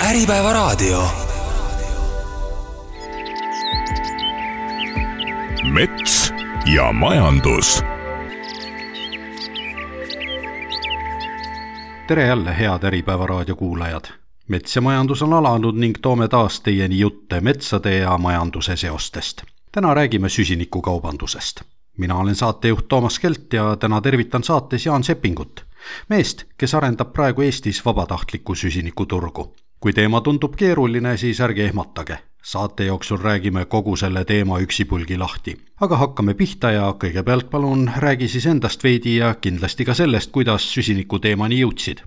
Äripäevaraadio. Mets ja majandus. Tere jälle, head Äripäevaraadio kuulajad. Mets ja majandus on alanud ning toome taas teieni jutte metsade ja majanduse seostest. Täna räägime süsinikukaubandusest. Mina olen saatejuht Toomas Kelt ja täna tervitan saates Jaan Seppingut, meest, kes arendab praegu Eestis vabatahtlikku süsinikuturgu. Kui teema tundub keeruline, siis ärge ehmatage. Saate jooksul räägime kogu selle teema üksipulgi lahti. Aga hakkame pihta ja kõigepealt palun räägi siis endast veidi ja kindlasti ka sellest, kuidas süsiniku teemani jõudsid.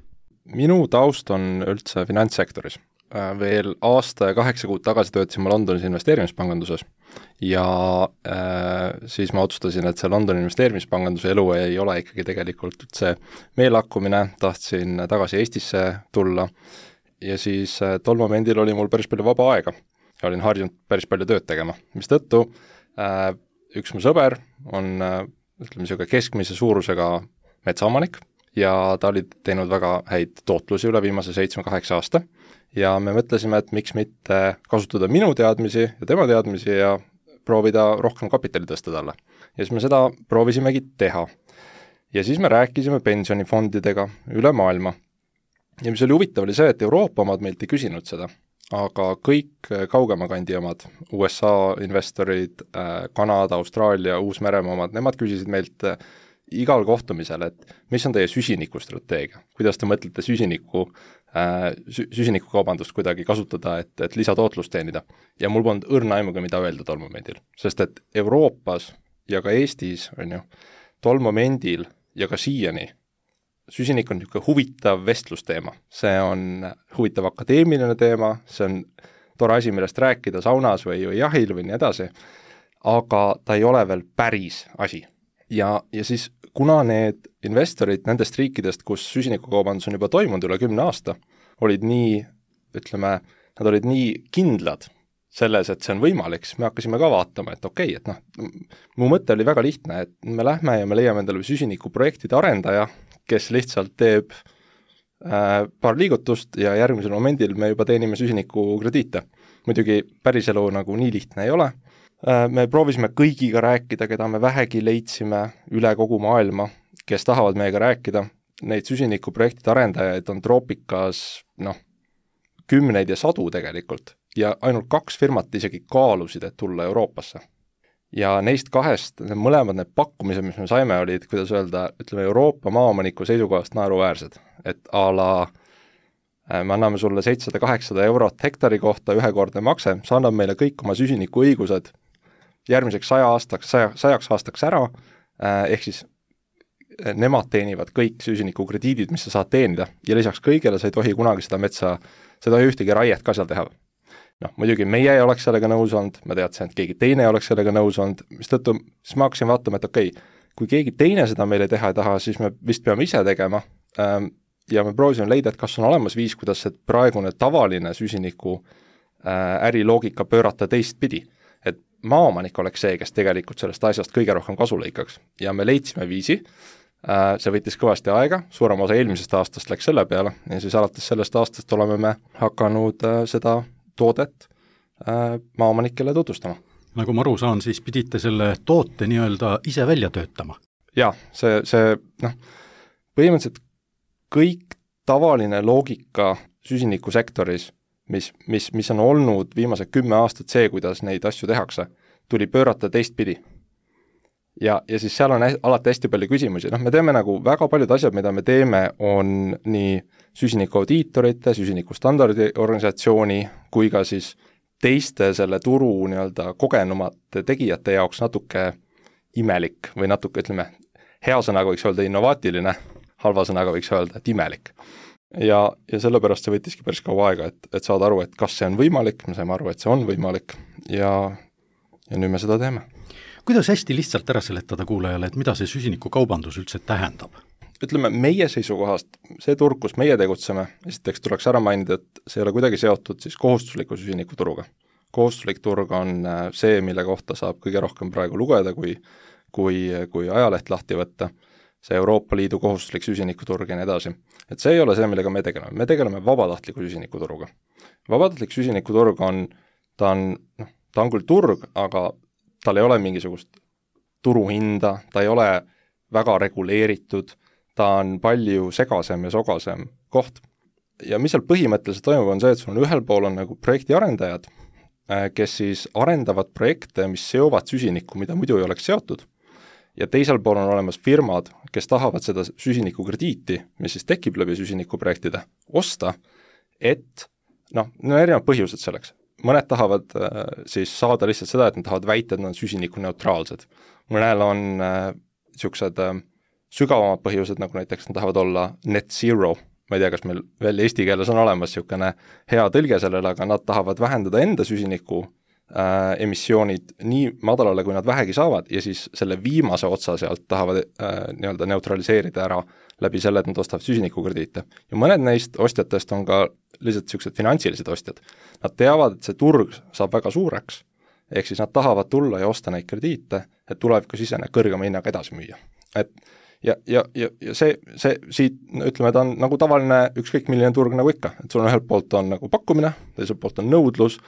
Minu taust on üldse finantssektoris. Veel aasta ja 8 kuud tagasi töötasin ma Londonis investeerimispanganduses ja siis ma otsustasin, et see Londoni investeerimispanganduse elu ei ole ikkagi tegelikult üldse meelakkumine, tahtsin tagasi Eestisse tulla ja siis tol momendil oli mul päris palju vaba aega ja olin harjunud päris palju tööd tegema, mistõttu üks mu sõber on keskmise suurusega metsaomanik ja ta oli teinud väga häid tootlusi üle viimase 7-8 aasta ja me mõtlesime, et miks mitte kasutada minu teadmisi ja tema teadmisi ja proovida rohkem kapitali tõsta talle. Ja siis me seda proovisimegi teha. Ja siis me rääkisime pensionifondidega üle maailma. Ja mis oli huvitav oli see, et Euroopa omad meilt ei küsinud seda, aga kõik kaugema kandi omad, USA investorid, Kanada, Austraalia, Uus-Meremaa omad, nemad küsisid meilt igal kohtumisel, et mis on teie süsinikustrateegia, kuidas te mõtlete süsinikukaubandust kuidagi kasutada, et lisatootlust teenida. Ja mul polnud õrna aimuga, mida öelda tol momendil, sest et Euroopas ja ka Eestis on ju tol momendil ja ka siiani süsinik on niisugune huvitav vestlusteema. See on huvitav akadeemiline teema, see on tore asi, millest rääkida saunas või jahil või nii edasi, aga ta ei ole veel päris asi. Ja siis kuna need investorid nendest riikidest, kus süsinikukaubandus on juba toimunud üle 10 aasta, olid nii, nad olid nii kindlad selles, et see on võimalik, siis me hakkasime ka vaatama, et okei, et mu mõte oli väga lihtne, et me lähme ja me leiame endale süsinikuprojektide arendaja, kes lihtsalt teeb paar liigutust ja järgmisel momendil me juba teenime süsinikukrediite. Muidugi päris elu nagu nii lihtne ei ole. Me proovisime kõigiga rääkida, keda me vähegi leidsime üle kogu maailma, kes tahavad meiega rääkida. Neid süsinikuprojektide arendajaid on troopikas kümneid ja sadu tegelikult ja ainult 2 firmat isegi kaalusid, et tulla Euroopasse. Ja neist 2, mõlemad need pakkumised, mis me saime, olid, kuidas öelda, Euroopa maaomaniku seisukohast naeruväärsed. Et me anname sulle 700-800 eurot hektari kohta ühekordne makse, sa annab meile kõik oma süsiniku õigused järgmiseks 100 aastaks ära, ehk siis nemad teenivad kõik süsinikukrediidid, mis sa saad teenida ja lisaks kõigele sa ei tohi kunagi seda metsa, sa ei tohi ühtegi raiet ka seal teha. Muidugi meie ei oleks sellega nõus olnud, ma teadsin, et keegi teine ei oleks sellega nõus olnud, mistõttu siis ma hakkasin vaatama, et okei, kui keegi teine seda meile teha ei taha, siis me vist peame ise tegema ja me proovisime leida, et kas on olemas viis, kuidas see praegune tavaline süsiniku äriloogika pöörata teistpidi. Et maaomanik oleks see, kes tegelikult sellest asjast kõige rohkem kasu lõikaks. Ja me leidsime viisi, see võttis kõvasti aega, suurem osa eelmisest aastast läks selle peale ja siis alates sellest aastast oleme me hakanud seda toodet maaomanikele tutvustama. Nagu ma aru saan, siis pidite selle toote nii-öelda ise välja töötama? Jaa, see põhimõtteliselt kõik tavaline loogika süsinikusektoris, mis on olnud viimased 10 aastat see, kuidas neid asju tehakse, tuli pöörata teistpidi. Ja siis seal on alati hästi palju küsimusi. Me teeme nagu väga paljud asjad, mida me teeme, on nii süsinikuaudiitorite, süsinikustandardi organisatsiooni kui ka siis teiste selle turu nii-öelda kogenumate tegijate jaoks natuke imelik või natuke, hea sõnaga võiks öelda innovaatiline, halva sõnaga võiks öelda, et imelik. Ja sellepärast see võttiski päris kaua aega, et saada aru, et kas see on võimalik, me saime aru, et see on võimalik ja nüüd me seda teeme. Kuidas hästi lihtsalt ära seletada kuulajale, et mida see süsinikukaubandus üldse tähendab? Meie seisukohast, see turg, kus meie tegutseme, esiteks tuleks ära mainida, et see ei ole kuidagi seotud siis kohustusliku süsinikuturuga. Kohustuslik turg on see, mille kohta saab kõige rohkem praegu lugeda, kui ajaleht lahti võtta. see Euroopa Liidu kohustuslik süsinikuturg ja nii edasi. Et see ei ole see, millega me tegeleme vabatahtliku süsinikuturuga. Vabatahtlik süsinikuturg ta on küll turg, aga tal ei ole mingisugust turuhinda, ta ei ole väga reguleeritud, ta on palju segasem ja sogasem koht. Ja mis seal põhimõtteliselt toimub, on see, et sul on ühel pool on nagu projekti arendajad, kes siis arendavad projekte, mis seovad süsinikku, mida muidu ei oleks seotud, ja teisel pool on olemas firmad, kes tahavad seda süsinikukrediiti, mis siis tekib läbi süsinikuprojektide, osta, et on erinevad põhjused selleks. Mõned tahavad siis saada lihtsalt seda, et nad tahavad väita, et nad on süsinikuneutraalsed. Mõnel on niisugused sügavamad põhjused, nagu näiteks nad tahavad olla net zero. Ma ei tea, kas meil veel eesti keeles on olemas niisugune hea tõlge sellele, aga nad tahavad vähendada enda süsiniku emissioonid nii madalale, kui nad vähegi saavad, ja siis selle viimase otsa sealt tahavad nii-öelda neutraliseerida ära läbi selle, et nad ostavad süsinikukrediite. Ja mõned neist ostjatest on ka lihtsalt niisugused finantsilised ostjad. Nad teavad, et see turg saab väga suureks, ehk siis nad tahavad tulla ja osta neid krediite, et tulevikus ise need kõrgema hinnaga edasi müüa. Ja see siit, ütleme, ta on nagu tavaline ükskõik milline turg nagu ikka, et sul on ühelt poolt on nagu pakkumine, teiselt poolt on nõudlus,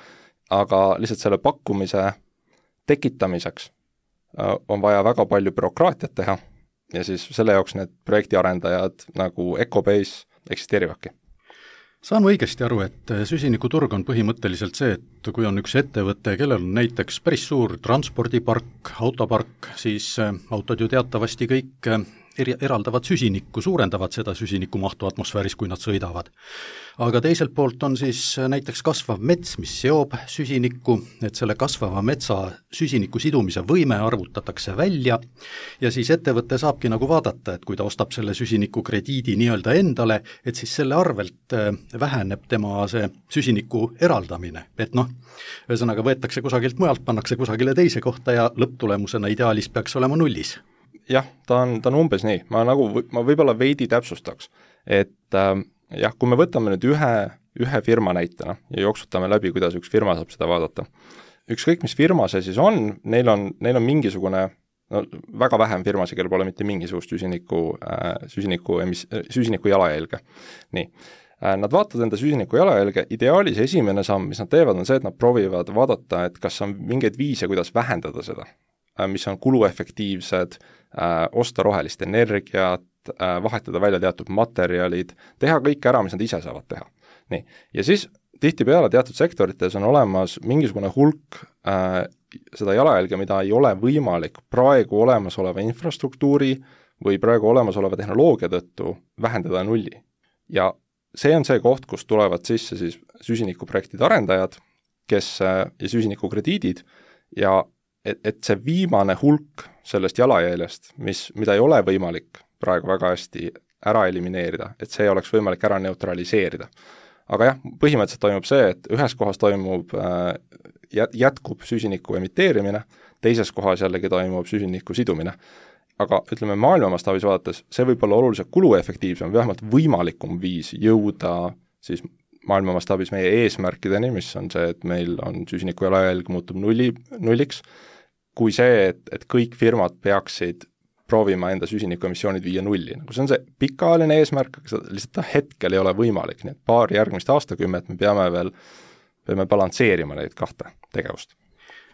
aga lihtsalt selle pakkumise tekitamiseks on vaja väga palju bürokraatiat teha ja siis selle jaoks need projektiarendajad nagu Ecobase eksisteerivadki. Saan õigesti aru, et süsinikuturg on põhimõtteliselt see, et kui on üks ettevõte, kellel on näiteks päris suur transpordipark, autopark, siis autod ju teatavasti kõik eraldavad süsinikku, suurendavad seda süsinikumahtu atmosfääris, kui nad sõidavad. Aga teiselt poolt on siis näiteks kasvav mets, mis seob süsinikku, et selle kasvava metsa süsiniku sidumise võime arvutatakse välja ja siis ettevõte saabki nagu vaadata, et kui ta ostab selle süsinikukrediidi nii-öelda endale, et siis selle arvelt väheneb tema see süsiniku eraldamine. Et ühesõnaga võetakse kusagilt mujalt, pannakse kusagile teise kohta ja lõpptulemusena ideaalis peaks olema nullis. Jah, ta on umbes nii. Ma võib-olla veidi täpsustaks, et kui me võtame nüüd ühe firma näitena ja jooksutame läbi, kuidas üks firma saab seda vaadata. Ükskõik, mis firma see siis on, neil on mingisugune, väga vähem firmasid, kellel pole mitte mingisugust süsiniku jalajälge. Nii. Nad vaatavad enda süsiniku jalajälge, ideaalis esimene samm, mis nad teevad, on see, et nad proovivad vaadata, et kas on mingeid viise, kuidas vähendada seda, mis on kuluefektiivsed, osta rohelist energiat, vahetada välja teatud materjalid, teha kõik ära, mis nad ise saavad teha. Nii. Ja siis tihtipeale teatud sektorites on olemas mingisugune hulk seda jalajälge, mida ei ole võimalik praegu olemasoleva infrastruktuuri või praegu olemasoleva tehnoloogia tõttu vähendada nulli. Ja see on see koht, kus tulevad sisse siis süsinikuprojektide arendajad, ja süsinikukrediidid ja et see viimane hulk sellest jalajäljest, mida ei ole võimalik praegu väga hästi ära elimineerida, et see oleks võimalik ära neutraliseerida. Aga jah, põhimõtteliselt toimub see, et ühes kohas jätkub süsiniku emiteerimine, teises kohas jällegi toimub süsiniku sidumine. Aga ütleme, maailma mastaabis vaadates, see võib olla oluliselt kuluefektiivsem, vähemalt võimalikum viis jõuda siis maailma mastaabis meie eesmärkideni, mis on see, et meil on süsiniku jalajälg muutub nulliks, kui see, et kõik firmad peaksid proovima enda süsinikuemissioonid viia nulli. See on see pikaajaline eesmärk, aga lihtsalt hetkel ei ole võimalik. Nii et paar järgmist aastakümmet me peame balansseerima neid kahte tegevust.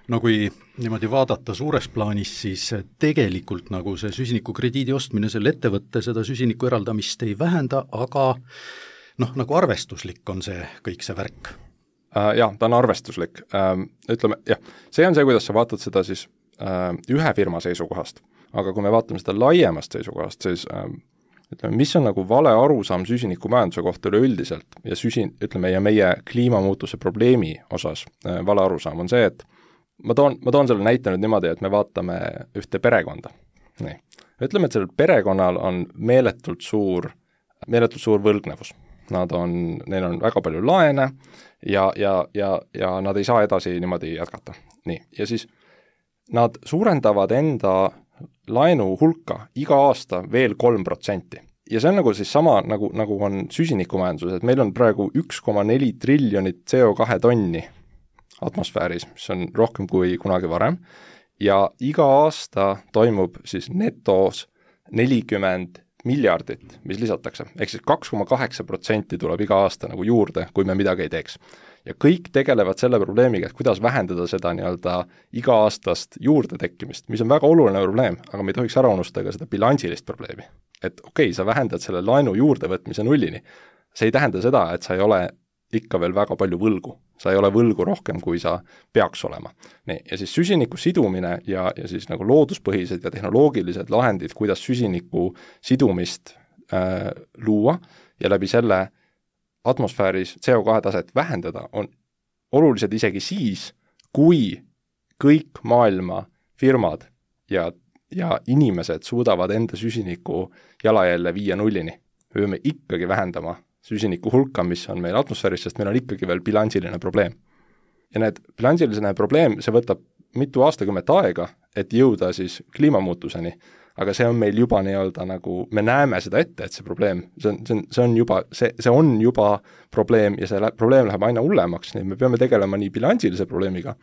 Kui niimoodi vaadata suures plaanis, siis tegelikult nagu see süsinikukrediidi ostmine selle ettevõtte seda süsiniku eraldamist ei vähenda, aga nagu arvestuslik on see kõik see värk. Jah, ta on arvestuslik. Ütleme, jah, see on see, kuidas sa vaatad seda siis ühe firma seisukohast. Aga kui me vaatame seda laiemast seisukohast, siis ütleme, mis on nagu vale arusaam süsinikumajanduse kohta üleüldiselt ja meie kliimamuutuse probleemi osas vale arusaam on see, et ma toon selle näite nüüd niimoodi, et me vaatame ühte perekonda. Nii. Ütleme, et sellel perekonnal on meeletult suur võlgnevus. Neil on väga palju laene ja nad ei saa edasi niimoodi jätkata. Nii. Ja siis nad suurendavad enda laenu hulka iga aasta veel 3%. Ja see on nagu siis sama, nagu on süsinikumajanduses, et meil on praegu 1,4 triljonit CO2 tonni atmosfääris, mis on rohkem kui kunagi varem, ja iga aasta toimub siis netos 40 miljardit, mis lisatakse, ehk siis 2,8% tuleb iga aasta nagu juurde, kui me midagi ei teeks. Ja kõik tegelevad selle probleemiga, et kuidas vähendada seda nii-öelda iga-aastast juurde tekkimist, mis on väga oluline probleem, aga me ei tohiks ära unustada ka seda bilansilist probleemi. Et okei, sa vähendad selle laenu juurdevõtmise nullini, see ei tähenda seda, et sa ei ole ikka veel väga palju võlgu. Sa ei ole võlgu rohkem, kui sa peaks olema. Nii, ja siis süsiniku sidumine ja siis nagu looduspõhised ja tehnoloogilised lahendid, kuidas süsiniku sidumist luua ja läbi selle atmosfääris CO2 taset vähendada, on olulised isegi siis, kui kõik maailma firmad ja inimesed suudavad enda süsiniku jalajälje viia nullini. Me peame ikkagi vähendama süsiniku hulka, mis on meil atmosfääris, sest meil on ikkagi veel bilansiline probleem. Ja need bilansiline probleem, see võtab mitu aastakümmet aega, et jõuda siis kliimamuutuseni, aga see on meil juba nii-öelda nagu, me näeme seda ette, et see probleem, see on juba probleem ja see probleem läheb aina hullemaks, nii me peame tegelema nii bilansilise probleemiga,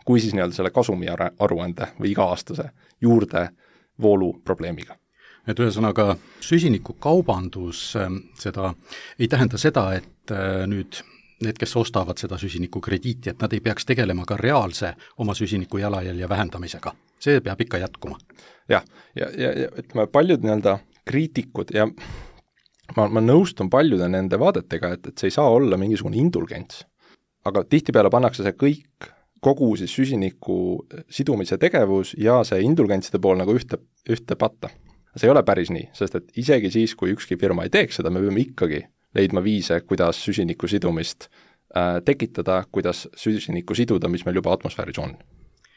kui siis nii-öelda selle kasumi aruande või iga-aastase juurdevoolu probleemiga. Et ühesõnaga süsinikukaubandus seda ei tähenda seda, et nüüd need, kes ostavad seda süsinikukrediiti, et nad ei peaks tegelema ka reaalse oma süsiniku jalajälje vähendamisega. See peab ikka jätkuma. Jah, ja ütleme, paljud nii-öelda kriitikud ja ma nõustun paljude nende vaadetega, et see ei saa olla mingisugune indulgents. Aga tihtipeale pannakse see kõik, kogu siis süsiniku sidumise tegevus ja see indulgentside pool nagu ühte patta. See ei ole päris nii, sest et isegi siis, kui ükski firma ei teeks seda, me peame ikkagi leidma viise, kuidas süsiniku sidumist tekitada, kuidas süsiniku siduda, mis meil juba atmosfääris on.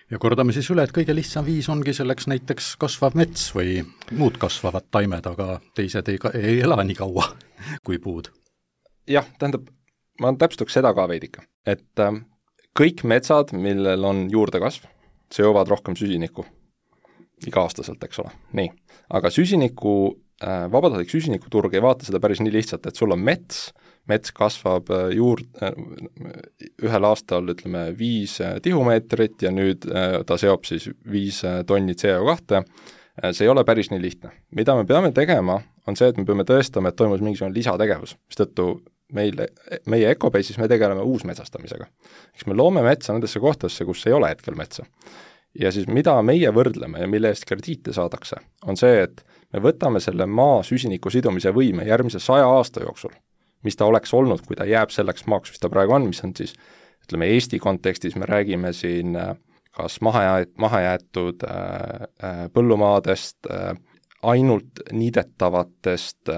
Ja kordame siis üle, et kõige lihtsam viis ongi selleks näiteks kasvav mets või muud kasvavad taimed, aga teised ei ela nii kaua kui puud. Jah, tähendab, ma täpsustaks seda ka veidika, et kõik metsad, millel on juurdekasv, seovad rohkem süsinikku iga-aastaselt, eks ole. Nii, aga vabatahtlik süsinikuturg ei vaata seda päris nii lihtsalt, et sul on mets kasvab ühel aastal, ütleme, 5 tihumeetrit ja nüüd ta seob siis 5 tonni CO2. See ei ole päris nii lihtne. Mida me peame tegema, on see, et me peame tõestama, et toimus mingisugune lisategevus, mistõttu meie Ecobase'is me tegeleme uusmetsastamisega. Eks me loome metsa nendesse kohtadesse, kus ei ole hetkel metsa. Ja siis mida meie võrdleme ja mille eest krediite saadakse, on see, et me võtame selle maa süsiniku sidumise võime järgmise 100 aasta jooksul, mis ta oleks olnud, kui ta jääb selleks maaks, mis ta praegu on, mis on siis, ütleme, Eesti kontekstis me räägime siin kas mahajäetud põllumaadest, ainult niidetavatest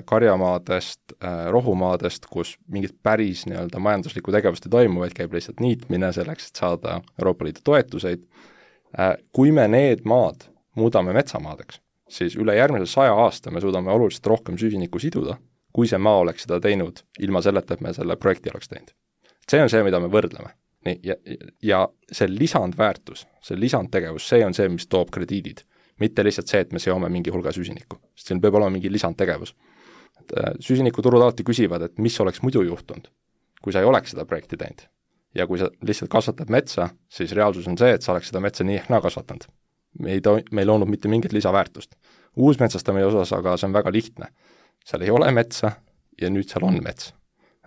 karjamaadest, rohumaadest, kus mingit päris nii-öelda majanduslikku tegevust ei toimu, vaid käib lihtsalt niitmine selleks, et saada Euroopa Liidu toetuseid. Kui me need maad muudame metsamaadeks, siis üle järgmise 100 aasta me suudame oluliselt rohkem süsinikku siduda, kui see maa oleks seda teinud ilma selleta, et me selle projekti oleks teinud. See on see, mida me võrdleme. Nii, ja see lisandväärtus, see lisandtegevus, see on see, mis toob krediidid. Mitte lihtsalt see, et me seome mingi hulga süsinikku, sest siin peab olema mingi lisandtegevus. Süsinikuturud alati küsivad, et mis oleks muidu juhtunud, kui sa ei oleks seda projekti teinud. Ja kui sa lihtsalt kasvatad metsa, siis reaalsus on see, et sa oleks seda metsa nii ehk naa kasvatanud. Me ei loonud mitte mingit lisaväärtust. Uusmetsastamise osas aga see on väga lihtne. Seal ei ole metsa ja nüüd seal on mets.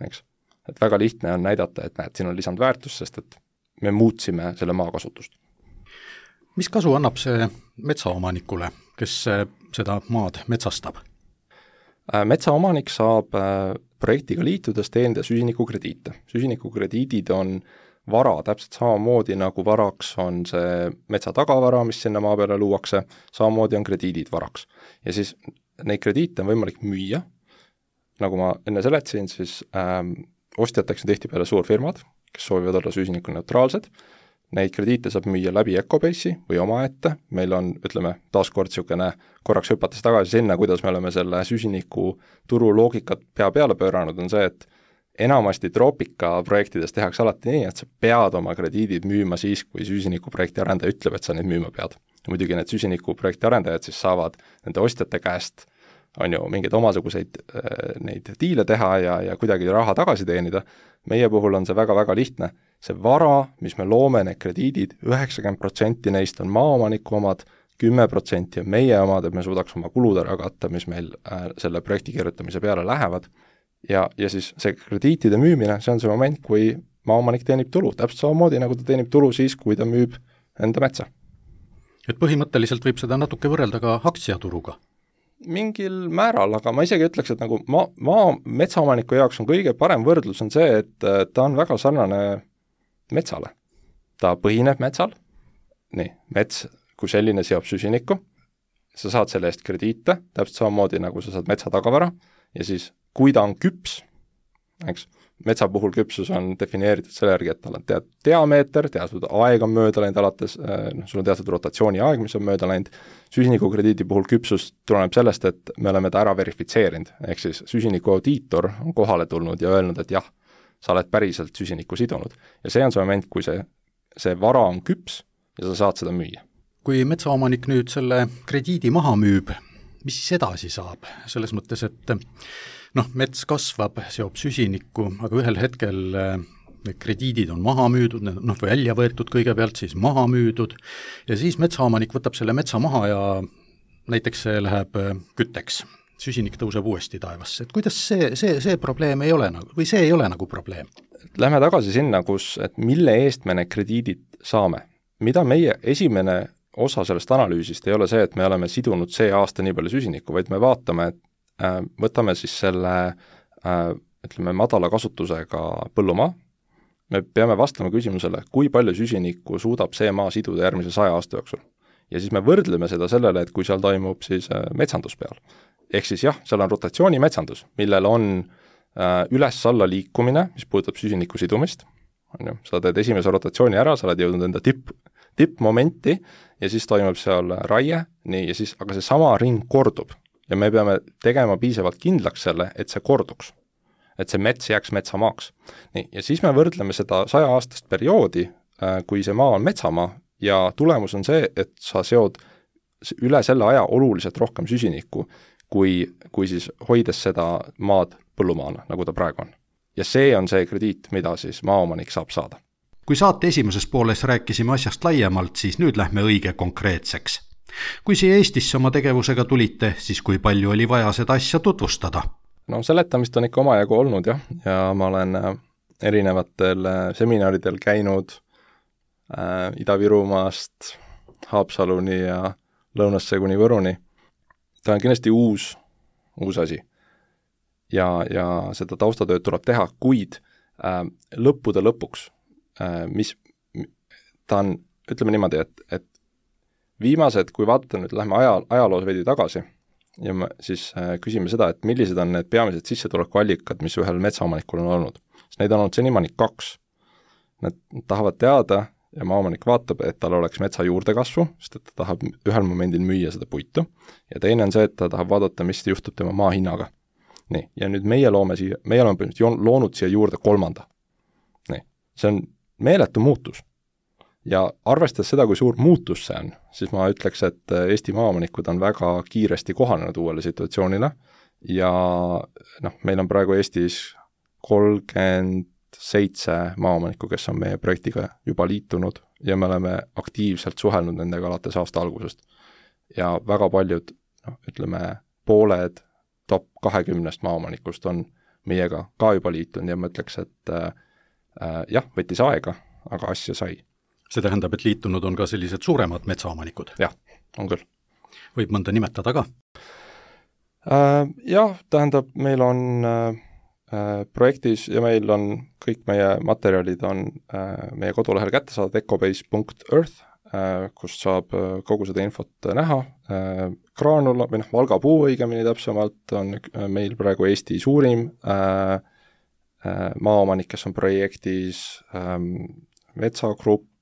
Eks? Et väga lihtne on näidata, et näed, siin on lisandväärtus, sest et me muutsime selle maa kasutust. Mis kasu annab see metsaomanikule, kes seda maad metsastab? Metsaomanik saab projektiga liitudes teenida süsinikukrediite. Süsinikukrediidid on vara täpselt samamoodi, nagu varaks on see metsa tagavara, mis sinna maa peale luuakse, samamoodi on krediidid varaks. Ja siis neid krediite on võimalik müüa, nagu ma enne seletasin, siis ostjateks on tihtipeale suurfirmad, kes soovivad olla süsinikuneutraalsed. Neid krediite saab müüa läbi Ecobase'i või omaette, meil on, ütleme, taaskord niisugune korraks hüpates tagasi sinna, kuidas me oleme selle süsiniku turu loogikat pea peale pööranud, on see, et enamasti troopika projektides tehakse alati nii, et sa pead oma krediidid müüma siis, kui süsinikuprojekti arendaja ütleb, et sa neid müüma pead. Muidugi need süsinikuprojekti arendajad siis saavad nende ostjate käest on ju mingeid omasuguseid neid diile teha ja kuidagi raha tagasi teenida. Meie puhul on see väga-väga lihtne. See vara, mis me loome, need krediidid, 90% neist on maaomaniku omad, 10% on meie omad, et me suudaks oma kulud ära katta, mis meil selle projekti kirjutamise peale lähevad, ja siis see krediitide müümine, see on see moment, kui maaomanik teenib tulu, täpselt samamoodi, nagu ta teenib tulu siis, kui ta müüb enda metsa. Et põhimõtteliselt võib seda natuke võrrelda ka aktsiaturuga? Mingil määral, aga ma isegi ütleks, et nagu metsaomaniku jaoks on kõige parem võrdlus on see, et ta on väga sarnane metsale. Ta põhineb metsal, nii, mets kui selline seob süsinikku, sa saad selle eest krediite, täpselt samamoodi nagu sa saad metsa tagavara, ja siis kui ta on küps, eks, metsa puhul küpsus on defineeritud selle järgi, et tal on teatud diameeter, teatud aeg on mööda läinud alates, sul on teatud rotatsiooni aeg, mis on mööda läinud, süsinikukrediidi puhul küpsus tuleneb sellest, et me oleme ta ära verifitseerinud, ehk siis süsiniku audiitor on kohale tulnud ja öelnud, et jah, sa oled päriselt süsinikku sidunud. Ja see on see moment, kui see vara on küps ja sa saad seda müüa. Kui metsaomanik nüüd selle krediidi maha müüb, mis siis edasi saab? Selles mõttes, et mets kasvab, seob süsinikku, aga ühel hetkel need krediidid on maha müüdud, välja võetud kõigepealt, siis maha müüdud, ja siis metsaomanik võtab selle metsa maha ja näiteks see läheb kütteks. Süsinik tõuseb uuesti taevasse. Et kuidas see probleem ei ole või see ei ole nagu probleem? Lähme tagasi sinna, et mille eest me need krediidid saame. Mida meie esimene osa sellest analüüsist ei ole see, et me oleme sidunud see aasta nii palju süsinikku, vaid me vaatame, et võtame siis selle, ütleme, madala kasutusega põllumaa, me peame vastama küsimusele, kui palju süsinikku suudab see maa siduda järgmise 100 aasta jooksul. Ja siis me võrdleme seda sellele, et kui seal toimub siis metsandus peal. Ehk siis jah, seal on rotatsiooni metsandus, millel on üles-alla liikumine, mis puudutab süsiniku sidumist. Sa teed esimese rotatsiooni ära, sa oled jõudnud enda tippmomenti ja siis toimub seal raie, nii, ja siis, aga see sama ring kordub. Ja me peame tegema piisavalt kindlaks selle, et see korduks. Et see mets jääks metsamaaks. Nii, ja siis me võrdleme seda 100-aastast perioodi, kui see maa on metsamaa, ja tulemus on see, et sa seod üle selle aja oluliselt rohkem süsinikku, kui siis hoides seda maad põllumaana, nagu ta praegu on. Ja see on see krediit, mida siis maaomanik saab saada. Kui saate esimeses pooles rääkisime asjast laiemalt, siis nüüd lähme õige konkreetseks. Kui siia Eestisse oma tegevusega tulite, siis kui palju oli vaja seda asja tutvustada? Seletamist on ikka omajagu olnud ja ma olen erinevatel seminaridel käinud Ida-Virumaast Haapsaluni ja lõunasse kuni Võruni. Ta on kindlasti uus asi ja seda taustatööd tuleb teha, kuid lõppude lõpuks, ta on, ütleme niimoodi, et viimased, kui vaadata nüüd, lähme ajaloos veidi tagasi ja me siis küsime seda, et millised on need peamised sissetulekuallikad, mis ühel metsaomanikul on olnud. Neid on olnud senimaani 2. Nad tahavad teada ja maaomanik vaatab, et tal oleks metsa juurdekasvu, sest et ta tahab ühel momendil müüa seda puitu, ja teine on see, et ta tahab vaadata, mis juhtub tema maa hinnaga. Nii, ja nüüd meie oleme loonud siia juurde 3. Nii, see on meeletu muutus. Ja arvestades seda, kui suur muutus see on, siis ma ütleks, et Eesti maaomanikud on väga kiiresti kohanenud uuele situatsioonile ja meil on praegu Eestis 37 maaomanikku, kes on meie projektiga juba liitunud ja me oleme aktiivselt suhelnud nendega alates aasta algusest. Ja väga paljud, ütleme, pooled top 20 maaomanikust on meiega ka juba liitunud ja ma ütleks, et jah, võttis aega, aga asja sai. See tähendab, et liitunud on ka sellised suuremad metsaomanikud? Jah, on küll. Võib mõnda nimetada ka? Jah, tähendab, meil on projektis ja meil on kõik meie materjalid on meie kodulehel kätte saada ecobase.earth, kust saab kogu seda infot näha. Graanula või Valga puu õigemini täpsemalt on meil praegu Eesti suurim maaomanik, kes on projektis metsagrupp,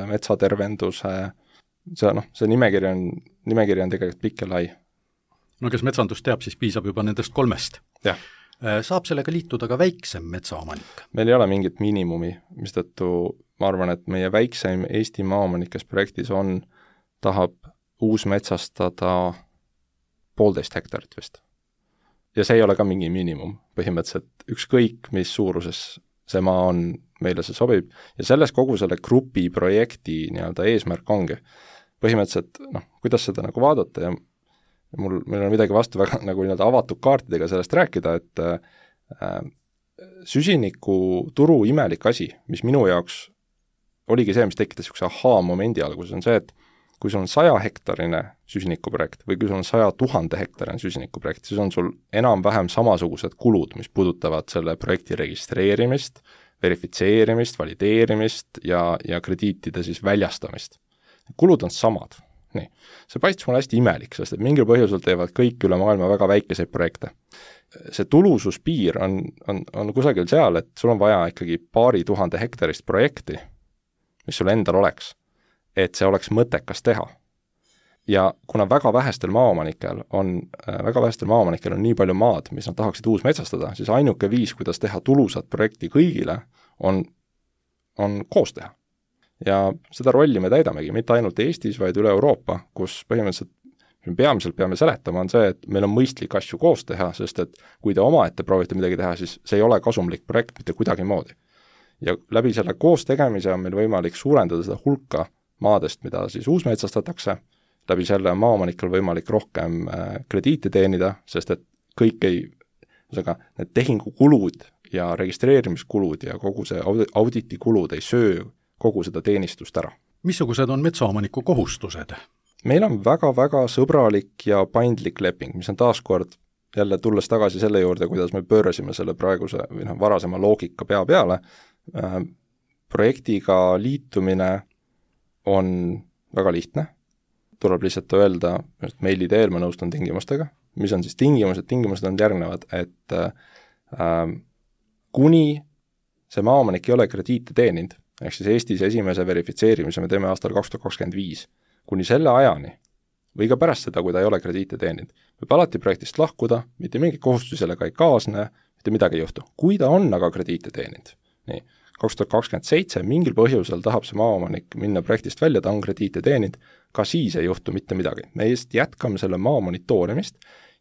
metsatervenduse, see nimekiri on tegelikult pikk ja lai. Kes metsandust teab, siis piisab juba nendest 3. Jah. Saab sellega liituda ka väiksem metsaomanik? Meil ei ole mingit miinimumi, mistõttu ma arvan, et meie väikseim Eesti maaomanik, kes projektis on, tahab uusmetsastada 1,5 hektarit vist. Ja see ei ole ka mingi miinimum. Põhimõtteliselt ükskõik, mis suuruses see maa on, meile see sobib. Ja selles kogu selle grupi projekti eesmärk ongi. põhimõtteliselt, kuidas seda nagu vaadata ja meil on midagi vastu väga nagu nii-öelda avatud kaartidega sellest rääkida, et süsinikuturu imelik asi, mis minu jaoks oligi see, mis tekitas niisuguse ahaa-momendi alguses, on see, et kui sul on 100-hektarine süsinikuprojekt või kui sul on 100 000 hektarine süsinikuprojekt, siis on sul enam-vähem samasugused kulud, mis puudutavad selle projekti registreerimist, verifitseerimist, valideerimist ja krediitide siis väljastamist. Kulud on samad. Nii. See paistis mulle hästi imelik, sest et mingil põhjusel teevad kõik üle maailma väga väikeseid projekte. See tulususpiir on kusagil seal, et sul on vaja ikkagi 2000 hektarist projekti, mis sul endal oleks, et see oleks mõttekas teha. Ja kuna väga vähestel maaomanikel on nii palju maad, mis nad tahaksid uusmetsastada, siis ainuke viis, kuidas teha tulusat projekti kõigile, on koos teha. Ja seda rolli me täidamegi, mitte ainult Eestis, vaid üle Euroopa, kus põhimõtteliselt peamiselt peame seletama, on see, et meil on mõistlik asju koos teha, sest et kui te omaette proovite midagi teha, siis see ei ole kasumlik projekt mitte kuidagi moodi. Ja läbi selle koos tegemise on meil võimalik suurendada seda hulka maadest, mida siis uusmetsastatakse, läbi selle maaomanikel võimalik rohkem krediite teenida, sest et kõik need tehingukulud ja registreerimiskulud ja kogu see auditikulud ei söö kogu seda teenistust ära. Missugused on metsaomaniku kohustused? Meil on väga-väga sõbralik ja paindlik leping, mis on taaskord jälle tulles tagasi selle juurde, kuidas me pöörasime selle praeguse või varasema loogika pea peale. Projektiga liitumine on väga lihtne, tuleb lihtsalt öelda, et meili teel ma nõustun tingimustega, mis on siis tingimused on järgnevad, et kuni see maaomanik ei ole krediite teeninud, ehk siis Eestis esimese verifitseerimise me teeme aastal 2025, kuni selle ajani või ka pärast seda, kui ta ei ole krediite teeninud, võib alati projektist lahkuda, mitte mingi kohustusi sellega ei kaasne, mitte midagi ei juhtu. Kui ta on aga krediite teeninud, nii, 2027 mingil põhjusel tahab see maaomanik minna projektist välja, ta on krediite teeninud, ka siis ei juhtu mitte midagi. Me just jätkame selle maa monitoorimist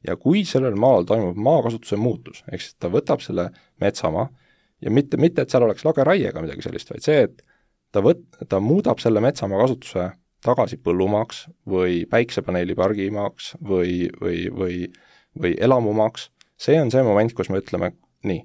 ja kui sellel maal toimub maakasutuse muutus, ehk siis ta võtab selle metsamaa ja mitte, et seal oleks lageraiega midagi sellist, vaid see, et ta muudab selle metsamaa kasutuse tagasi põllumaaks või päiksepaneelipargimaaks või elamumaaks, see on see moment, kus me ütleme, nii,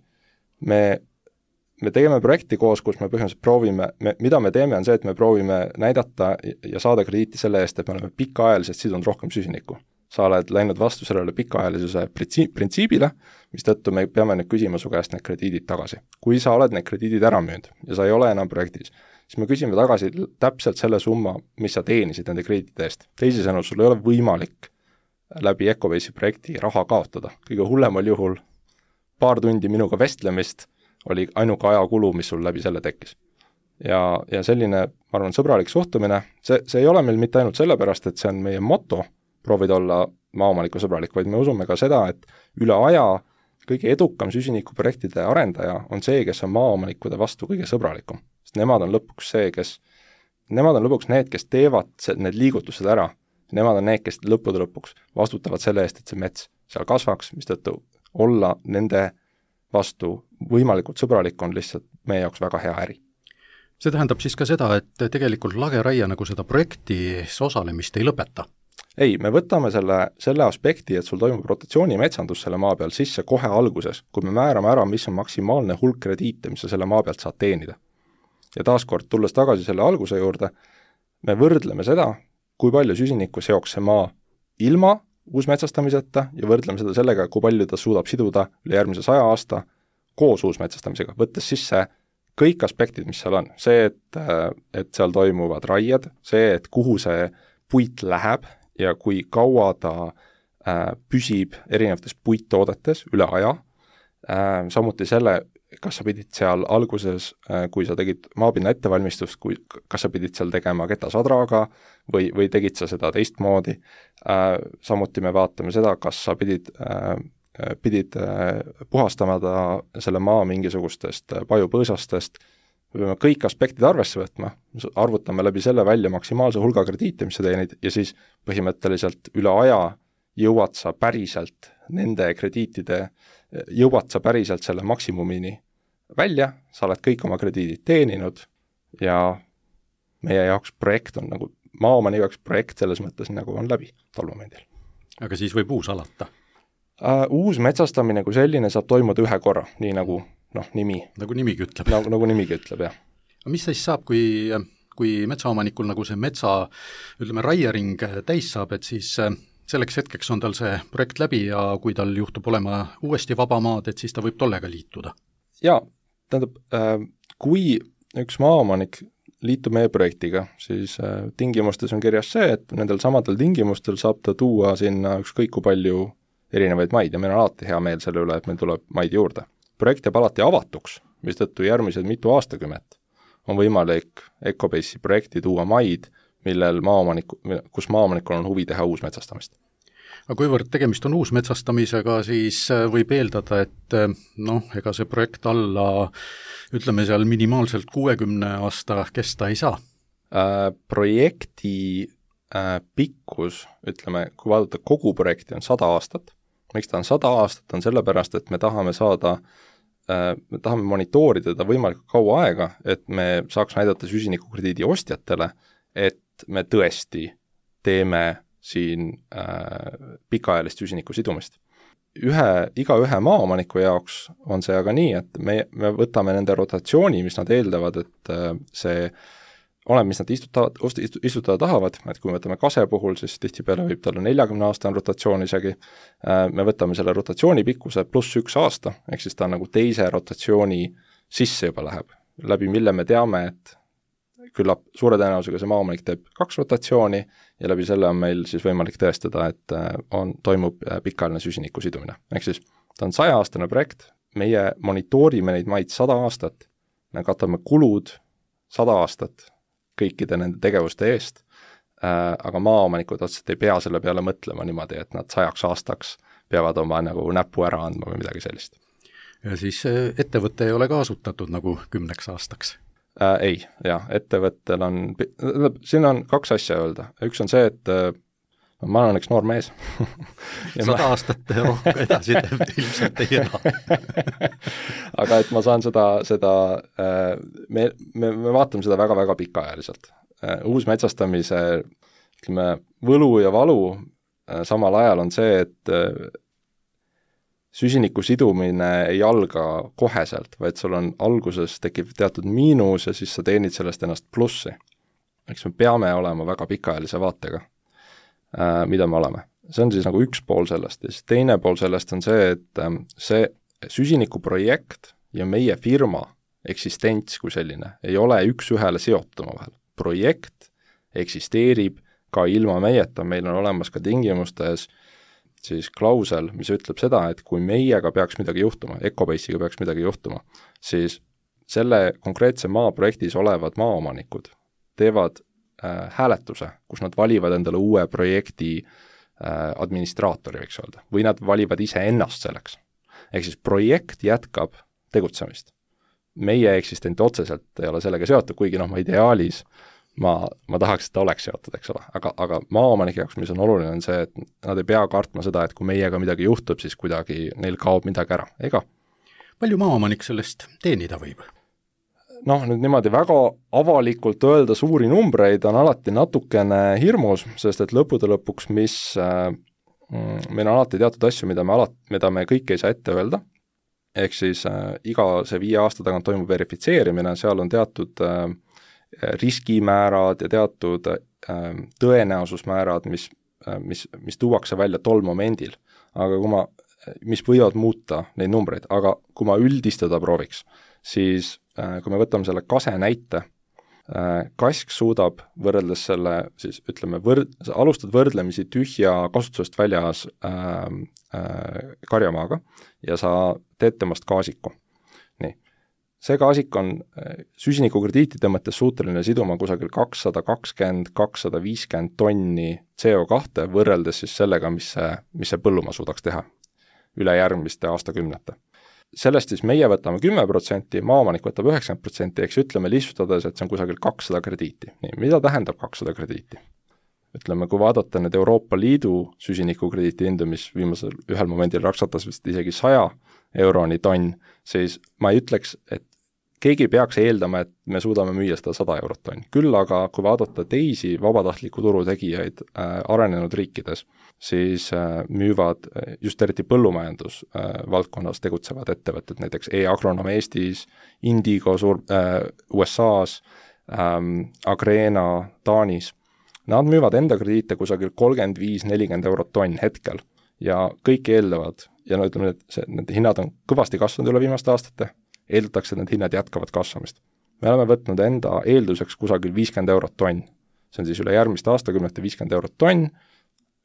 me tegeme projekti koos, kus me põhimõtteliselt proovime, mida me teeme, on see, et me proovime näidata ja saada krediiti selle eest, et me oleme pikaajaliselt sidunud rohkem süsinikku. Sa oled läinud vastu sellele pikaajalisuse printsiibile, mis tõttu me peame nüüd küsima su käest need krediidid tagasi. Kui sa oled need krediidid ära müünud ja sa ei ole enam projektis, siis me küsime tagasi täpselt selle summa, mis sa teenisid nende krediitide eest. Teisisõnu, sul ei ole võimalik läbi Ecobase'i projekti raha kaotada. Kõige hullemal juhul paar tundi minuga vestlemist oli ainuke ajakulu, mis sul läbi selle tekkis. Ja selline, ma arvan, sõbralik suhtumine, see ei ole meil mitte ainult sellepärast, et see on meie moto, proovida olla maaomaniku sõbralik, vaid me usume ka seda, et üle aja kõige edukam süsinikuprojektide arendaja on see, kes on maaomanikude vastu kõige sõbralikum. Sest nemad on lõpuks need, kes teevad need liigutused ära. Nemad on need, kes lõpuks vastutavad selle eest, et see mets seal kasvaks, mis tõttu olla nende vastu võimalikult sõbralik on lihtsalt meie jaoks väga hea äri. See tähendab siis ka seda, et tegelikult lageraia nagu seda projektis osalemist ei lõpeta? Ei, me võtame selle aspekti, et sul toimub rotatsioonimetsandus selle maa peal sisse kohe alguses, kui me määrame ära, mis on maksimaalne hulk krediite, mis sa selle maa pealt saad teenida. Ja taaskord, tulles tagasi selle alguse juurde, me võrdleme seda, kui palju süsinikku seoks see maa ilma uusmetsastamiseta ja võrdleme seda sellega, kui palju ta suudab siduda üle järgmise 100 aasta koos uusmetsastamisega, võttes sisse kõik aspektid, mis seal on. See, et seal toimuvad raied, see, et kuhu see puit läheb ja kui kaua ta püsib erinevates puittoodetes üle aja, samuti selle, kas sa pidid seal alguses, kui sa tegid maapinna ettevalmistust, kas sa pidid seal tegema ketasadraga või tegid sa seda teistmoodi. Samuti me vaatame seda, kas sa pidid puhastama selle maa mingisugustest pajupõõsastest, me peame kõik aspektid arvesse võtma, arvutame läbi selle välja maksimaalse hulga krediite, mis sa teenid, ja siis põhimõtteliselt üle aja jõuad sa päriselt nende krediitide, jõuad sa päriselt selle maksimumini välja, sa oled kõik oma krediidid teeninud ja meie jaoks projekt on nagu maaomani jaoks projekt selles mõttes nagu on läbi tolmomendil. Aga siis võib uus alata? Uus metsastamine kui selline saab toimuda ühe korra, nii nagu nimi. Nagu nimigi ütleb. Nagu nimigi ütleb, jah. Mis siis saab, kui metsaomanikul nagu see metsa, ütleme, raiering täis saab, et siis selleks hetkeks on tal see projekt läbi ja kui tal juhtub olema uuesti vaba maad, et siis ta võib tollega liituda? Jaa, tähendab, kui üks maaomanik liitub meie projektiga, siis tingimustes on kirjas see, et nendel samadel tingimustel saab ta tuua sinna ükskõik kui palju erinevaid maid ja meil on alati hea meel selle üle, et meil tuleb maid juurde. Projekt jääb alati avatuks, mistõttu järgmised mitu aastakümmet on võimalik Ecobase'i projekti tuua maid, kus maaomanikul on huvi teha uusmetsastamist. Aga kuivõrd tegemist on uusmetsastamisega, siis võib eeldada, et ega see projekt alla, ütleme seal minimaalselt 60 aasta kesta ei saa? Projekti pikkus, ütleme, kui vaadata kogu projekti, on 100 aastat. Miks ta on 100 aastat, on sellepärast, et me tahame monitoorida teda võimalikult kaua aega, et me saaks näidata süsinikukrediidi ostjatele, et me tõesti teeme siin pikaajalist süsiniku sidumist. Iga ühe maaomaniku jaoks on see aga nii, et me võtame nende rotatsiooni, mis nad eeldavad, et see oleneb, mis nad istutada tahavad, et kui me võtame kase puhul, siis tihtipeale võib talle 40 aastane rotatsioon isegi, me võtame selle rotatsiooni pikkuse pluss 1 aasta, ehk siis ta nagu teise rotatsiooni sisse juba läheb, läbi mille me teame, et küllap suure tõenäosusega see maaomanik teeb 2 rotatsiooni ja läbi selle on meil siis võimalik tõestada, et toimub pikaajaline süsiniku sidumine. Ehk siis ta on 100-aastane projekt, meie monitoorime neid maid 100 aastat, me katame kulud 100 aastat kõikide nende tegevuste eest, aga maaomanikud otseselt ei pea selle peale mõtlema niimoodi, et nad 100 aastaks peavad oma nagu näpu ära andma või midagi sellist. Ja siis ettevõte ei ole ka asutatud nagu 10 aastaks? Ei, jah, ettevõttel on, siin on 2 asja öelda. Üks on see, et ma olen üks noor mees. 100 aastat rohkem edasi teeb, ilmselt ei ela. Aga et ma saan me vaatame seda väga-väga pikaajaliselt. Uus metsastamise, ütleme, võlu ja valu samal ajal on see, et süsiniku sidumine ei alga koheselt, vaid sul on alguses tekib teatud miinus ja siis sa teenid sellest ennast plussi. Eks me peame olema väga pikaajalise vaatega, mida me oleme. See on siis nagu üks pool sellest ja siis teine pool sellest on see, et see süsinikuprojekt ja meie firma eksistents kui selline ei ole üks-ühele seotuma vahel. Projekt eksisteerib ka ilma meieta, meil on olemas ka tingimustes siis klausel, mis ütleb seda, et kui meiega peaks midagi juhtuma, Ecobase'iga peaks midagi juhtuma, siis selle konkreetse maaprojektis olevad maaomanikud teevad hääletuse, kus nad valivad endale uue projekti administraatori, võiks öelda, või nad valivad ise ennast selleks. Ehk siis projekt jätkab tegutsemist. Meie eksistent otseselt ei ole sellega seotud, kuigi ma ideaalis ma tahaks, et ta oleks seotud, eks ole, aga maaomanike jaoks, mis on oluline, on see, et nad ei pea kartma seda, et kui meiega midagi juhtub, siis kuidagi neil kaob midagi ära, ega. Palju maaomanik sellest teenida võib? Nüüd niimoodi väga avalikult öelda suuri numbreid on alati natukene hirmus, sest et lõppude lõpuks, meil on alati teatud asju, mida me kõik ei saa ette öelda, ehk siis iga see 5 aasta tagant toimub verifitseerimine, seal on teatud riskimäärad ja teatud tõenäosusmäärad, mis tuuakse välja tol momendil, aga mis võivad muuta neid numbreid, aga kui ma üldistada prooviks, siis kui me võtame selle kase näite, kask suudab võrreldes selle, siis ütleme, alustad võrdlemisi tühja kasutusest väljas karjamaaga ja sa teed temast gaasiku. Nii. See gaasik on süsinikukrediitide mõttes suuteline siduma kusagil 220-250 tonni CO2 võrreldes siis sellega, mis see põllumaa suudaks teha üle järgmiste aastakümnete. Sellest siis meie võtame 10%, maaomanik võtab 90%, eks ütleme lihtsustades, et see on kusagil 200 krediiti. Nii, mida tähendab 200 krediiti? Ütleme, kui vaadata need Euroopa Liidu süsinikukrediiti hindu, mis viimasel ühel momendil raksatas vist isegi 100 euroni tonn, siis ma ei ütleks, et keegi peaks eeldama, et me suudame müüa seda 100 eurot tonn. Küll aga, kui vaadata teisi vabatahtliku turu tegijaid arenenud riikides, siis müüvad just eriti põllumajandus valdkonnas tegutsevad ettevõtted, näiteks E-Agronom Eestis, Indigo USA-s, Agrena Taanis. Nad müüvad enda krediite kusagil 35-40 eurot tonn hetkel ja kõik eeldavad, ja no ütleme, et need hinnad on kõvasti kasvanud üle viimaste aastate, eeldatakse, et need hinnad jätkavad kasvamist. Me oleme võtnud enda eelduseks kusagil 50 eurot tonn. See on siis üle järgmiste aastakümnete 50 eurot tonn,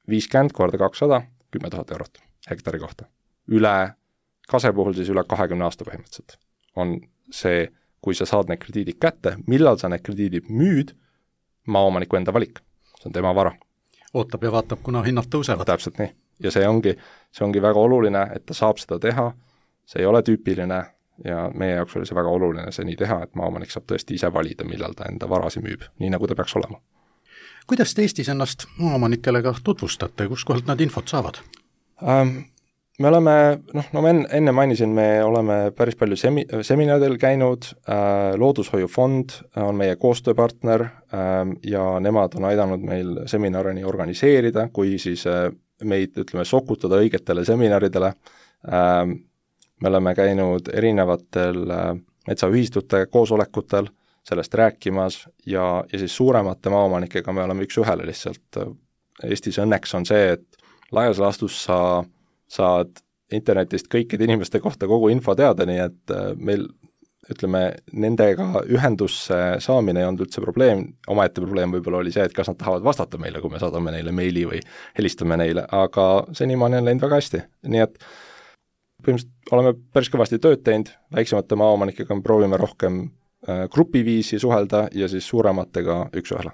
50 korda 200, 10 000 eurot hektari kohta. Üle kase puhul siis üle 20 aasta põhimõtteliselt on see, kui sa saad need krediidid kätte, millal sa need krediidid müüd, maaomaniku enda valik. See on tema vara. Ootab ja vaatab, kuna hinnad tõusevad. Täpselt nii. Ja see ongi väga oluline, et ta saab seda teha, see ei ole tüüpiline ja meie jaoks oli see väga oluline see nii teha, et maaomanik saab tõesti ise valida, millal ta enda varasi müüb, nii nagu ta peaks olema. Kuidas te Eestis ennast maaomanikele ka tutvustate, kus kohalt nad infot saavad? Me oleme, ma enne mainisin, me oleme päris palju seminaridel käinud, Loodushoiufond on meie koostööpartner ja nemad on aidanud meil seminarini organiseerida, kui siis meid, sokutada õigetele seminaridele. Me oleme käinud erinevatel metsaühistute koosolekutel sellest rääkimas ja siis suuremate maaomanikega me oleme üks ühele lihtsalt. Eestis õnneks on see, et laias laastus sa saad internetist kõikide inimeste kohta kogu info teada, nii et meil, nendega ühendusse saamine ei olnud üldse probleem, omaette probleem võib-olla oli see, et kas nad tahavad vastata meile, kui me saadame neile meili või helistame neile, aga senimaani on läinud väga hästi, nii et põhimõtteliselt oleme päris kõvasti tööd teinud, väiksemate maaomanikega me proovime rohkem grupiviisi suhelda ja siis suurematega üks ühele.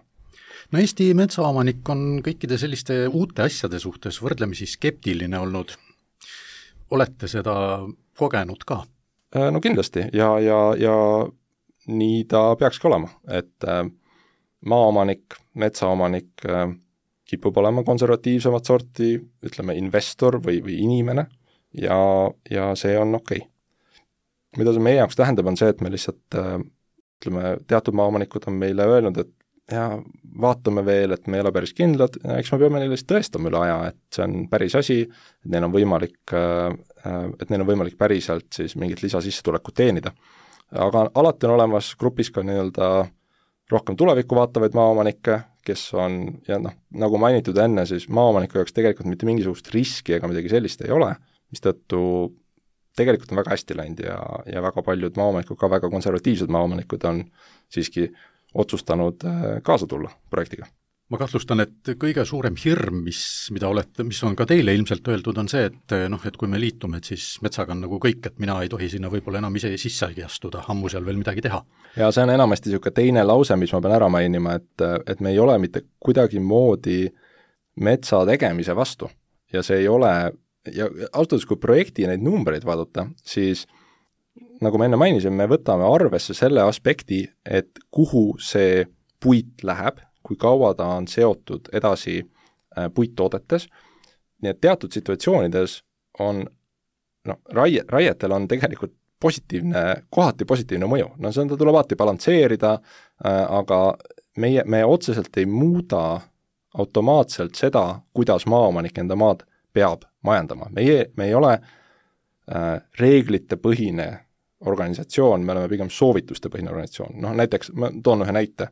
No Eesti metsaomanik on kõikide selliste uute asjade suhtes võrdlemisi skeptiline olnud. Olete seda kogenud ka? No kindlasti ja nii ta peakski olema, et maaomanik, metsaomanik kipub olema konservatiivsemat sorti, investor või inimene ja see on okei. Mida see meie jaoks tähendab, on see, et me lihtsalt, teatud maaomanikud on meile öelnud, et ja vaatame veel, et me ei ole päris kindlad, eks me peame neile tõestama üle aja, et see on päris asi, et neil on võimalik päriselt siis mingit lisasissetulekut teenida. Aga alati on olemas grupis ka rohkem tulevikku vaatavaid maaomanikke, kes on, ja nagu mainitud enne, siis maaomaniku jaoks tegelikult mitte mingisugust riski ega midagi sellist ei ole, mistõttu tegelikult on väga hästi läinud ja väga paljud maaomanikud, ka väga konservatiivsed maaomanikud on siiski otsustanud kaasa tulla projektiga. Ma kahtlustan, et kõige suurem hirm, mis on ka teile ilmselt öeldud, on see, et kui me liitume, et siis metsaga on nagu kõik, et mina ei tohi sinna võib-olla enam ise sissagi astuda, ammu seal veel midagi teha. Ja see on enamasti niisugune teine lause, mis ma pean ära mainima, et me ei ole mitte kuidagi moodi metsa tegemise vastu ja see ei ole, ja ausalt öeldes, kui projekti neid numbreid vaadata, siis nagu ma enne mainisin, me võtame arvesse selle aspekti, et kuhu see puit läheb, kui kaua ta on seotud edasi puittoodetes. Nii et teatud situatsioonides on, raietel on tegelikult kohati positiivne mõju. Seda tuleb alati balansseerida, aga me otseselt ei muuda automaatselt seda, kuidas maaomanik enda maad peab majandama. Me ei ole reeglite põhine organisatsioon, me oleme pigem soovituste põhine organisatsioon. Näiteks, ma toon ühe näite.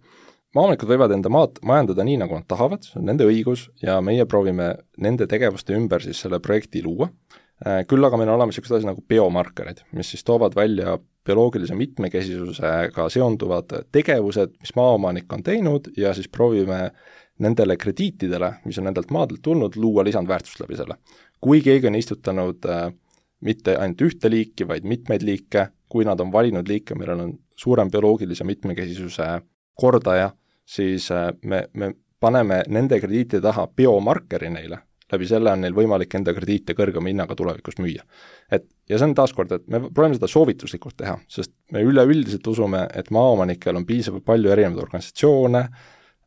Maaomanikud võivad enda maad majandada nii, nagu nad tahavad, see on nende õigus ja meie proovime nende tegevuste ümber siis selle projekti luua. Küll aga meil on olemas sellised asi nagu biomarkerid, mis siis toovad välja bioloogilise mitmekesisusega seonduvad tegevused, mis maaomanik on teinud ja siis proovime nendele krediitidele, mis on nendelt maadelt tulnud, luua lisandväärtust läbi selle. Kui keegi on istutanud mitte ainult ühte liiki, vaid mitmeid liike, kui nad on valinud liike, millel on suurem bioloogilise mitmekesisuse kordaja, siis me paneme nende krediitide taha biomarkeri neile, läbi selle on neil võimalik enda krediite kõrgema hinnaga tulevikus müüa. Ja see on taaskord, et me proovime seda soovituslikult teha, sest me üleüldiselt usume, et maaomanikel on piisavalt palju erinevaid organisatsioone,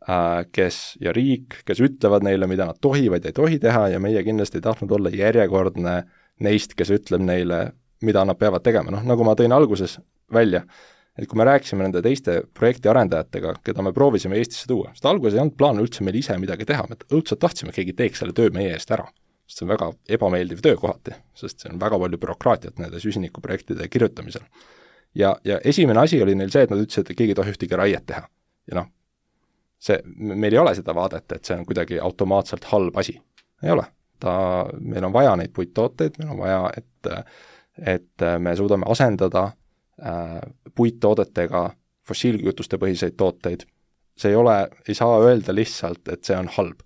ja riik, kes ütlevad neile, mida nad tohivad ja ei tohi teha ja meie kindlasti ei tahtnud olla järjekordne neist, kes ütleb neile, mida nad peavad tegema. Nagu ma tõin alguses välja, et kui me rääkisime nende teiste projekti arendajatega, keda me proovisime Eestisse tuua, sest alguses ei olnud plaan üldse meil ise midagi teha, me õudselt tahtsime, et keegi teeks selle töö meie eest ära. Sest see on väga ebameeldiv töö kohati, sest see on väga palju bürokraatiat nende süsinikuprojektide kirjutamisel. Ja esimene asi oli neil see, et nad ütlesid, et keegi ei tohi ühtegi raiet teha. Ja noh, meil ei ole seda vaadet, et see on kuidagi automaatselt halb asi. Ei ole. Meil on vaja neid puittooteid, meil on vaja, et me suudame asendada puittoodetega fossiilkütuste põhiseid tooteid. See ei saa öelda lihtsalt, et see on halb.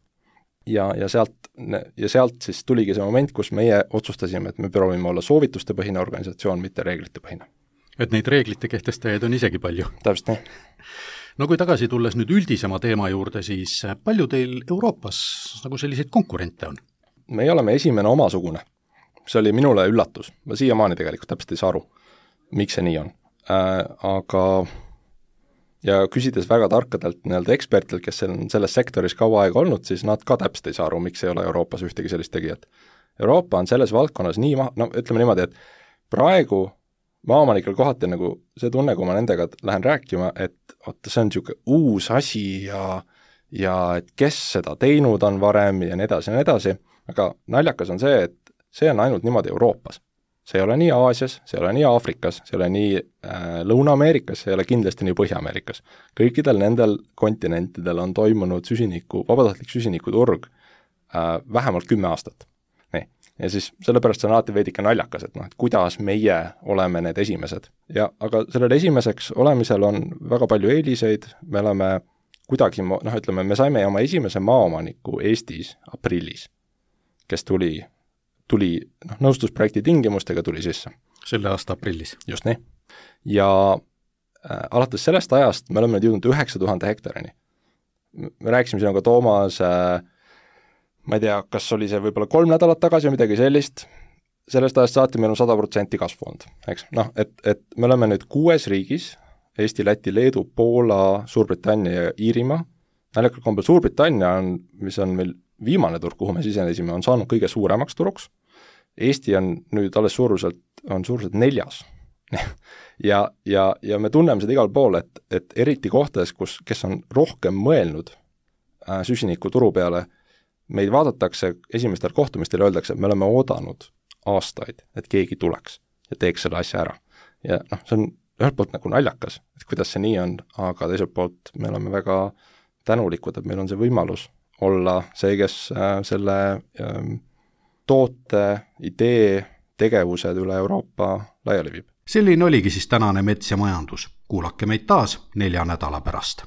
Ja sealt siis tuligi see moment, kus meie otsustasime, et me proovime olla soovituste põhine organisatsioon, mitte reeglite põhine. Et neid reeglite kehtestajaid on isegi palju. Täpselt nii. No kui tagasi tulles nüüd üldisema teema juurde, siis palju teil Euroopas nagu selliseid konkurente on? Me oleme esimene omasugune. See oli minule üllatus. Ma siiamaani tegelikult täpselt ei saa aru, miks see nii on. Aga ja küsides väga tarkadelt ekspertidelt, kes on selles sektoris kaua aega olnud, siis nad ka täpselt ei saa aru, miks ei ole Euroopas ühtegi sellist tegijat. Euroopa on selles valdkonnas ütleme niimoodi, et praegu maaomanikel kohati nagu see tunne, kui ma nendega lähen rääkima, et see on niisugune uus asi ja et kes seda teinud on varem ja nii edasi, aga naljakas on see, et see on ainult niimoodi Euroopas. See ei ole nii Aasias, see ei ole nii Aafrikas, see ei ole nii Lõuna-Ameerikas, see ei ole kindlasti nii Põhja-Ameerikas. Kõikidel nendel kontinentidel on toimunud vabatahtlik süsinikuturg vähemalt 10 aastat. Nii. Ja siis sellepärast see on alati veidike naljakas, et kuidas meie oleme need esimesed. Aga sellel esimeseks olemisel on väga palju eeliseid, me oleme kuidagi, me saime oma esimese maaomaniku Eestis aprillis, kes tuli nõustusprojekti tingimustega tuli sisse. Selle aasta aprillis. Just nii. Ja alates sellest ajast me oleme nüüd jõudnud 9000 hektarini. Me rääkisime sinuga Toomas, ma ei tea, kas oli see võib-olla 3 nädalat tagasi või midagi sellist, sellest ajast saati meil on 100% kasvu olnud, eks? Et me oleme nüüd 6 riigis, Eesti, Läti, Leedu, Poola, Suurbritannia ja Iirimaa. Näljakal kombel Suurbritannia mis on meil viimane turg, kuhu me sisenesime, on saanud kõige suuremaks turuks. Eesti on nüüd alles suuruselt 4. ja me tunneme seda igal pool, et eriti kohtades, kes on rohkem mõelnud süsiniku turu peale, meid vaadatakse esimestel kohtumistel ja öeldakse, et me oleme oodanud aastaid, et keegi tuleks ja teeks selle asja ära. Ja see on ühelt poolt nagu naljakas, et kuidas see nii on, aga teiselt poolt me oleme väga tänulikud, et meil on see võimalus olla see, kes selle toote, idee, tegevused üle Euroopa laiali viib. Selline oligi siis tänane Mets ja majandus. Kuulake meid taas 4 nädala pärast.